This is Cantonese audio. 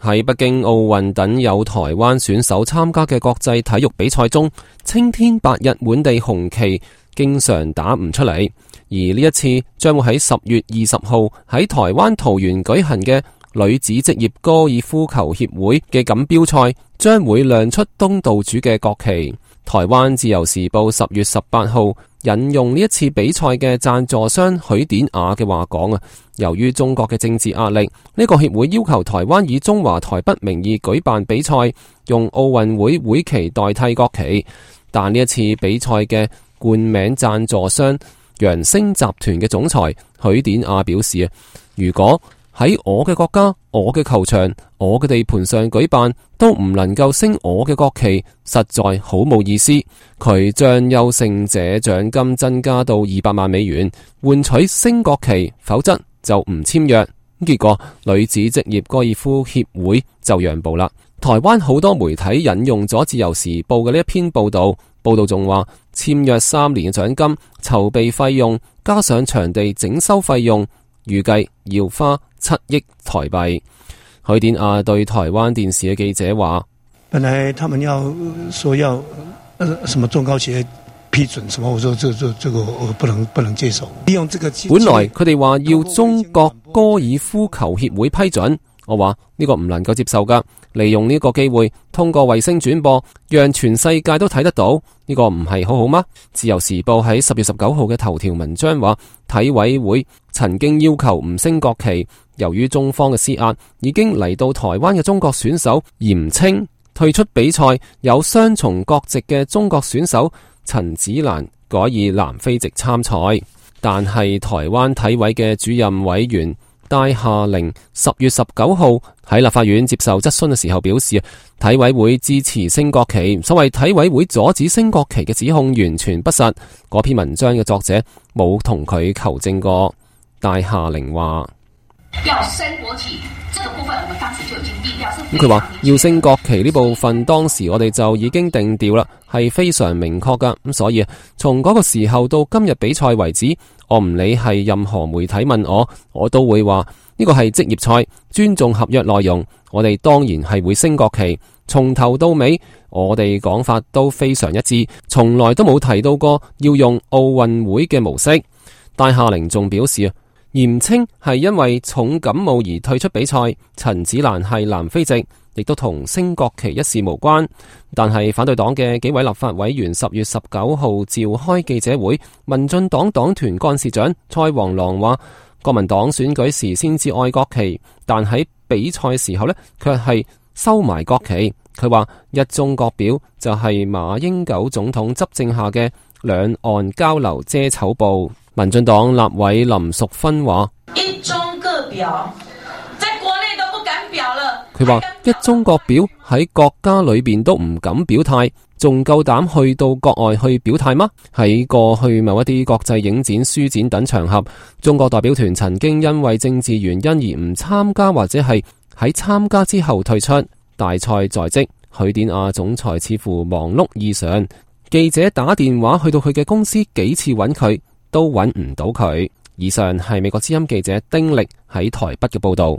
喺北京奧運等有台灣選手參加嘅國際體育比賽中，青天白日滿地紅旗經常打唔出嚟，而呢一次將會喺10月20號喺台灣桃園舉行嘅女子職業高爾夫球協會嘅錦標賽，將會亮出東道主嘅國旗。台灣自由時報10月18號引用呢一次比賽嘅贊助商許典雅嘅話講由於中國嘅政治壓力，呢個協會要求台灣以中華台北名義舉辦比賽，用奧運會會旗代替國旗。但呢一次比賽嘅冠名贊助商揚星集團嘅總裁許典雅表示如果喺我嘅國家、我嘅球場、我嘅地盤上舉辦，都唔能夠升我嘅國旗，實在好冇意思。佢將優勝者獎金增加到200萬美元，換取升國旗，否則就唔簽約。結果女子職業高爾夫協會就讓步啦。台灣好多媒體引用咗自由時報嘅呢一篇報道，報道仲話簽約3年嘅獎金、籌備費用加上場地整修費用，預計要花7億台幣。許典雅對台灣電視嘅記者話：本來他們要說要什麼中高協批准什麼，我說這個我不能接受。利用這個本來佢哋話要中國高爾夫球協會批准，我話呢個唔能夠接受噶。利用呢個機會，通過衛星轉播，讓全世界都睇得到，呢個唔係好好嗎？自由時報喺10月19號嘅頭條文章話，體委會曾經要求唔升國旗，由於中方嘅施壓，已經嚟到台灣嘅中國選手嚴稱退出比賽，有雙重國籍嘅中國選手陳子蘭改以南非籍參賽，但係台灣體委嘅主任委員戴夏玲10月19號喺立法院接受質詢嘅時候表示，體委會支持升國旗，所謂體委會阻止升國旗嘅指控完全不實。嗰篇文章嘅作者冇同佢求證過。戴夏玲話：要升國旗，這個部分我們當時就已經定調。咁佢話要升國旗呢部分，當時我哋就已經定調啦，係非常明確噶。咁所以從嗰個時候到今日比賽為止，我唔理係任何媒體問我都會話呢個係職業賽，尊重合約內容。我哋當然係會升國旗，從頭到尾我哋講法都非常一致，從來都冇提到過要用奧運會嘅模式。戴夏玲仲表示嚴稱係因為重感冒而退出比賽，陳子蘭係南非籍，亦都同升國旗一事無關。但係反對黨嘅幾位立法委員10月19號召開記者會，民進黨黨團幹事長蔡黃郎話，國民黨選舉時先至愛國旗，但喺比賽時候呢，卻係收埋國旗。佢話一中各表就係馬英九總統執政下嘅兩岸交流遮醜布。民進黨立委林淑芬話：一中各表，在國內都不敢表了。佢話一中各表喺國家裏邊都唔敢表態，仲夠膽去到國外去表態嗎？喺過去某一啲國際影展、書展等場合，中國代表團曾經因為政治原因而唔參加，或者係喺參加之後退出。大賽在即，許典雅總裁似乎忙碌異常，記者打電話去到佢嘅公司幾次揾佢，都揾唔到佢。以上係美國之音記者丁力喺台北嘅報道。